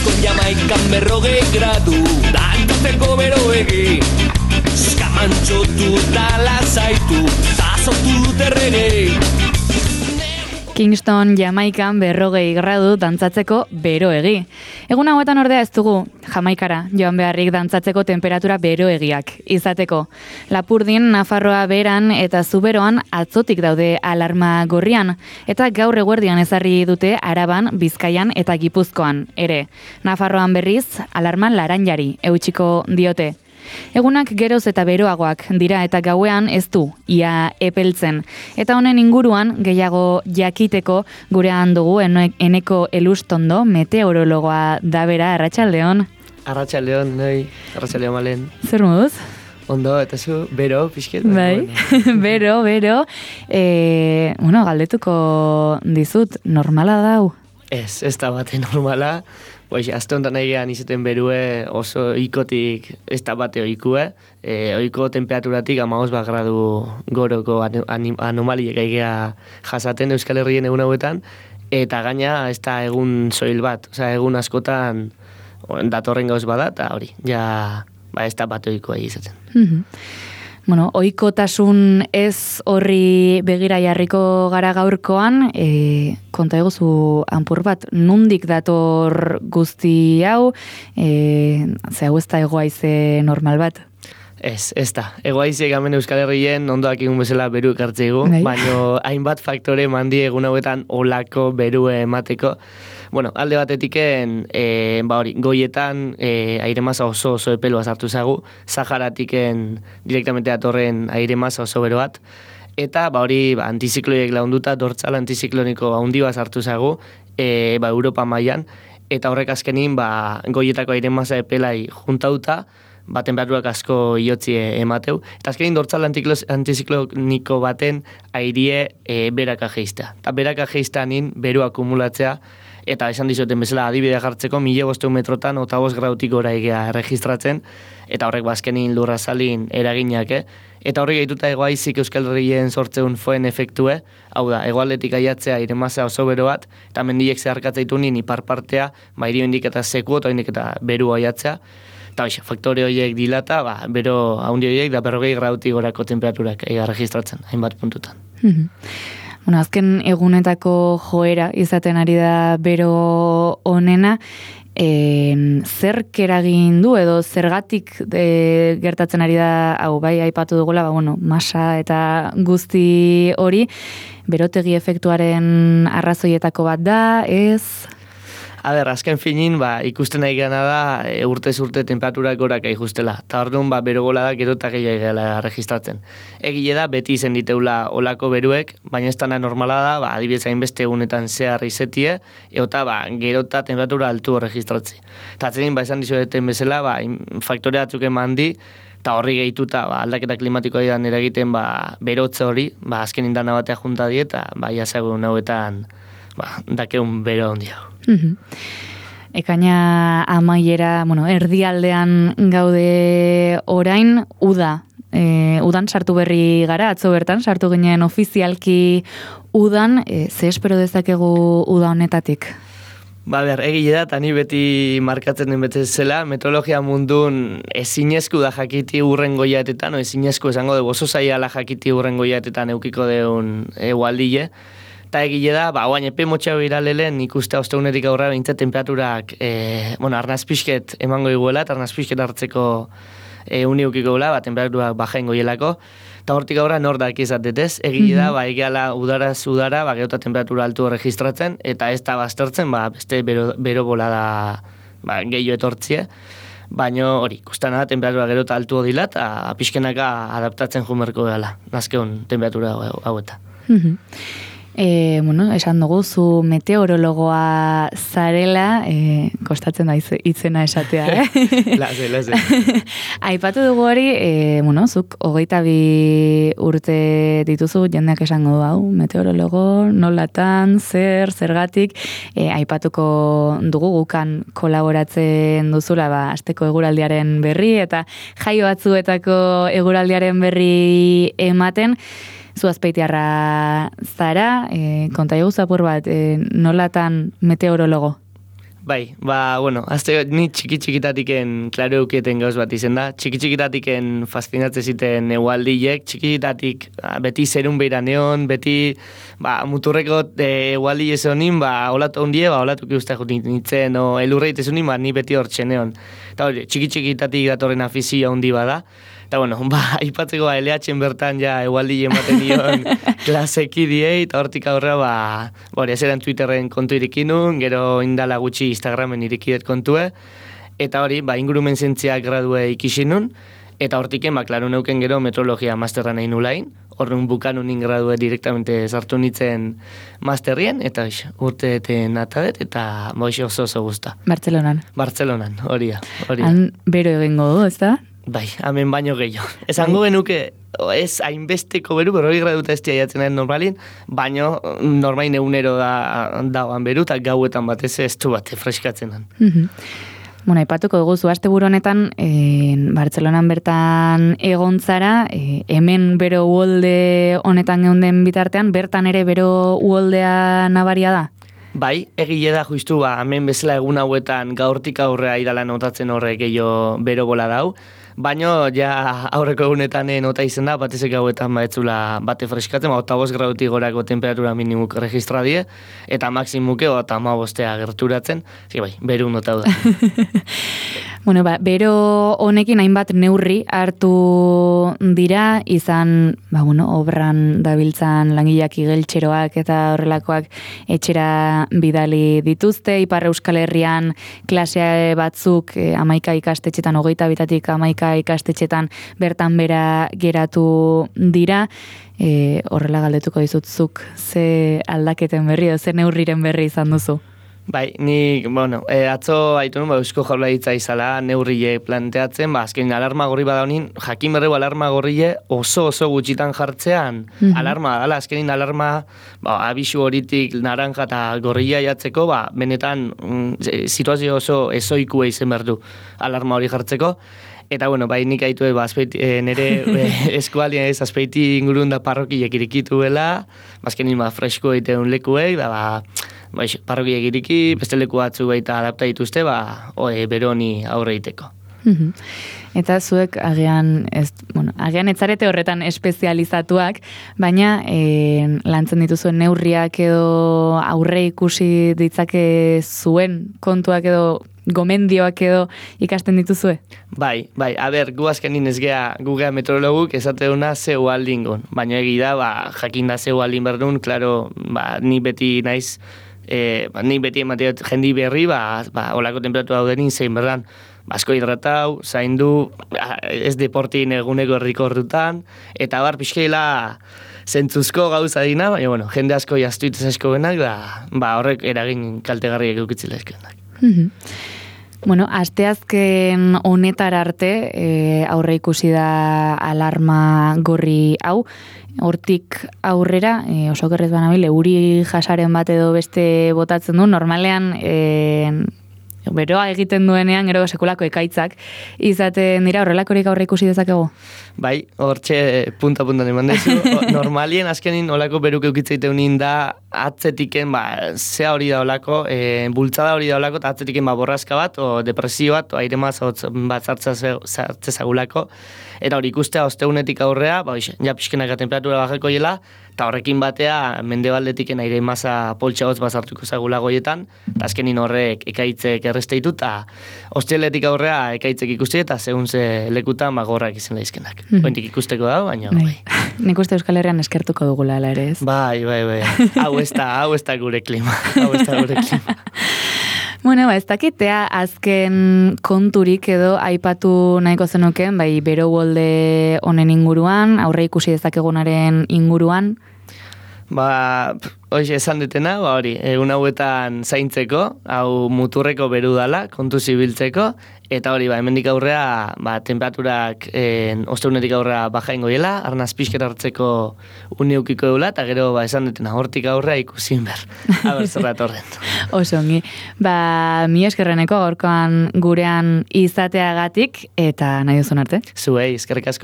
Diskon Jamaikan 40 gradu, dantatzeko beroegi. Skamantxotu eta lazaitu, ta sortu dut errege. Kingston, Jamaikan 40 gradu dantzatzeko beroegi. Egun hauetan ordea ez dugu Jamaikara joan beharrik dantzatzeko temperatura beroegiak izateko. Lapurdin, Nafarroa beran eta Zuberoan atzotik daude alarma gorrian, eta gaur eguerdian ezarri dute Araban, Bizkaian eta Gipuzkoan ere. Nafarroan berriz alarma laranjari eutsiko diote. Egunak geroz eta beroagoak dira eta gauean ez du ia epeltzen. Eta honen inguruan gehiago jakiteko gurean dugu Eneko Elustondo, meteorologoa da bera. Arratsaldeon. Arratsaldeon, noi. Arratsaldeon malen. Zer moduz? Ondo, eta zu, bero, pixket. Bai, bero. Galdetuko dizut, normala dau? Ez da bate normala. Azte honetan egean izaten berue oso ikotik ez da bate oikue. Oiko temperaturatik 15 gradu goroko anomaliek egea jasaten Euskal Herrien egun hauetan. Eta gaina ez da egun soil bat. Egun askotan datorren gauz bada, eta hori, ez da bate oikoa izaten. Ohikotasun ez horri begira jarriko gara gaurkoan, konta eguzu anpur bat, nundik dator guzti hau, ze hau ez da egoaize normal bat? Ez da. Egoaize gamen Euskal Herrien ondoak egun bezala beru ekartzeigu, baina hainbat faktore mandi egun hauetan olako berue emateko. Alde batetiken, goietan aire masa oso epeloa sartu zagu, Saharatiken direktamente datorren aire masa oso bero bat, eta antizikloiek launduta dortzal antizikloniko handi bat sartu zagu, Europa mailan, eta horrek azkenin goietako aire masa epelai juntauta, temperaturak asko iotzi emateu, eta azkenin dortzal antizikloniko baten airie beraka geiztea. Eta beraka geizteanin beru akumulatzea, eta esan dizoten bezala adibidea jartzeko 1500 metrotan 25 gradutik gora egea registratzen, eta horrek bazkenin lurrazalin eraginak, eta horrek gaituta egoaizik Euskal Herrien sortzeun foen efektue, hau da, egoaldetik aiatzea iremazea oso bero bat, eta mendiek zeharkatzaitu nien iparpartea, irio indik eta seku, eta indik eta beru aiatzea, eta faktore horiek dilata, bero haundi horiek da 40 gradutik gorako temperaturak registratzen, hainbat puntutan. Azken egunetako joera izaten ari da bero honena, zerk eragin du edo zergatik gertatzen ari da, aipatu dugula, masa eta guzti hori, berotegi efektuaren arrazoietako bat da, ez? Azken finin, ikusten nahi gana da, urtez urte temperaturak gorak aijustela. Eta orduan, bero gola da, gero eta gehiago egela registratzen. Egile da, beti izen diteula olako beruek, baina ez dana normala da, adibidez hainbeste egunetan zehar izetie, eta gero eta temperatura altu registratzi. Eta atzerin, esan dizueten bezala, faktore batzuk eman di, eta horri gehituta, aldaketa klimatikoa edan eragiten, berotze hori, azken indana batea junta di, eta jasegun hauetan, dakeun bero handia. Ekaina amaiera, erdialdean gaude orain, udan sartu berri gara, atzo bertan, sartu ginen ofizialki udan, ze espero dezakegu uda honetatik? Egile da, eta ni beti markatzen den betezela, meteorologia mundun ezinezku da jakiti urren goiatetan, ezinezku esango de oso zaiala jakiti urren goiatetan eukiko deun egualdile, eta egile da, oain epe motxea biralelen ikuste osteunetik aurra bintzat temperaturak, arnazpisket emango iguela, eta arnazpisket hartzeko uniukiko gula, temperaturak bajain goielako, eta hortik aurra nordak izatetez, egile da, egiala udaraz udara, geota temperatura altu registratzen, eta ez da baztertzen, beste bero bola da gehiago etortzie, baina hori, ikusten da, temperatura gero eta altu odila, eta pixkenaka adaptatzen jumerko gala, nazkeun temperatura haueta. Esan dugu, zu meteorologoa zarela, kostatzen da itzena esatea, Laze. Aipatu dugu hori, zuk 22 urte dituzu, jendeak esango du hau, meteorologo, nolatan, zergatik, aipatuko dugu gukan kolaboratzen duzula, asteko eguraldiaren berri, eta jaio batzuetako eguraldiaren berri ematen, zu azpeitiarra zara, konta egu zapur bat, nolatan meteorologo? Bai, ni txiki-txikitatiken klaro eukieten gauz bat izen da. Txiki-txikitatiken fascinatze ziten egualdiek, txikitatik beti zerun beira neon, beti muturreko egualdi ezonin, olatu ondie, olatuki uste jutin nintzen, o elurreit ezonin, ni beti hor txeneon. Eta hori, txiki-txikitatik datorren afizia ondi bada. Eta aipatzeko LH-en bertan ja egualdi ematen dion klaseki diei, eta hortik aurra, ezeran Twitterren kontu irikinun, gero indala gutxi Instagramen irikidet kontue, eta hori, ingurumen zientziak gradue ikisinun, eta hortiken, klaro neuken gero meteorologia masterra nahi nulain, horren bukanun ingradue direktamente sartu nitzen masterrien, eta urteeten atadet, eta oso guzta. Bartzelonan, hori da. Han bero egingo du, ez da? Bai, hemen baino gehiago. Esango genuke, ez hainbesteko beru, 40 graduta ez jatzen den normalin, baino normain egunero dagoan beru, eta gauetan batez ez du bate freskatzen den. Aipatuko dugu, asteburu honetan, Bartzelonan bertan egon zara, hemen bero uholde honetan geunden bitartean, bertan ere bero uholdea nabaria da? Bai, egile da justu, hemen bezala egun hauetan gaurtik aurrea idala notatzen horrek gehiago bero bola dau, baino ja aurreko egunetan nota izen da, batezek hauetan baetzula bate freskatzen, 8 gradutik gorako temperatura minimuk registra die, eta maksimuke 15 gerturatzen, beru nota da. Bero honekin hainbat neurri hartu dira, izan, obran dabiltzan langileak igeltxeroak eta horrelakoak etxera bidali dituzte, Ipar Euskal Herrian klasea batzuk 11 ikastetxetan, 22-tik 11 ikastetxetan bertan bera geratu dira, horrela galdetuko dizutzuk, ze aldaketen berri, ze neurriren berri izan duzu? Bai, ni, atzo haitu nun, Eusko Jaurlaritza izala neurrile planteatzen, azken alarma gorri badaunin, jakin berreu alarma gorrile oso gutxitan jartzean, alarma dala, azkenin alarma, abisu horitik naranja eta gorrilla jatzeko, benetan situazio oso ezoikua izen berdu alarma hori jartzeko. Eta, nik haitu nire eskualien ez azpeiti ingurun da parrokiek irikituela, azkenin fresko egiteun lekuei, parrokiek iriki, beste leku batzu baita adapta dituzte, beroni aurre egiteko. Eta zuek agian etzarete horretan espezializatuak, baina lantzen dituzuen neurriak edo aurre ikusi ditzake zuen kontuak edo gomendioak edo ikasten dituzue? Bai, gu azkenin ez gugea meteorologuk esateuna zeu aldingon, baina egida, jakinda zeu aldin berdun, klaro, ni beti naiz, ni beti emateot jendi berri, olako temperatura daudenin zein berdan, asko hidratau, zaindu, ez deportin eguneko errikordutan, eta pixkeila zentzuzko gauza dina, baina, jende asko jaztuitez asko benak, horrek eragin kaltegarriak eukitzilezkenak. Asteazken honetara arte aurre ikusi da alarma gorri hau, hortik aurrera, oso gerrez banabil, euri jasaren bat edo beste botatzen du, normalean beroa egiten duenean, gero sekulako ekaitzak izaten dira, horrelakorik aurre ikusi dezakegu? Bai, hortxe punta-puntan eman dezu. Normalien azkenin olako beruk eukitzeiteunin da atzetiken, zea hori da olako, bultzada hori da olako, eta atzetiken borrazka bat, o depresio bat, o aire mazatz bat zartzezagulako, eta hori ikustea osteunetik aurrea, ja pixkenaka temperatura bajeko hiela, eta horrekin batea mendebaldetik aire maza poltsagoz bazartuko zagula goietan, eta azkenin horrek ekaitzek erresteitu, eta osteletik aurrea ekaitzek ikusti, eta segun ze lekutan gorrak izan daizkenak. Ointik ikusteko da, baina bai. Nik uste Euskal Herrian eskertuko dugula, ala ere ez? Bai. Hau ez da gure klima. Ez dakitea azken konturik edo aipatu nahiko zenuken, bero uholde honen inguruan, aurre ikusi dezakegunaren inguruan? Hoxe esan detena, hori, egun hauetan zaintzeko, hau muturreko beru dala, kontu zibiltzeko, eta hori, hemendik aurrea, temperaturak osteunetik aurrea bajaingo dela, arnaz pixkera hartzeko uneukiko eula, eta gero, esan detena, hortik aurrea ikusin ber, haber zerrat horren. Oso ongi, mi eskerreneko gaurkoan gurean izateagatik, eta nahi duzun arte? Zuei, eskerrik asko.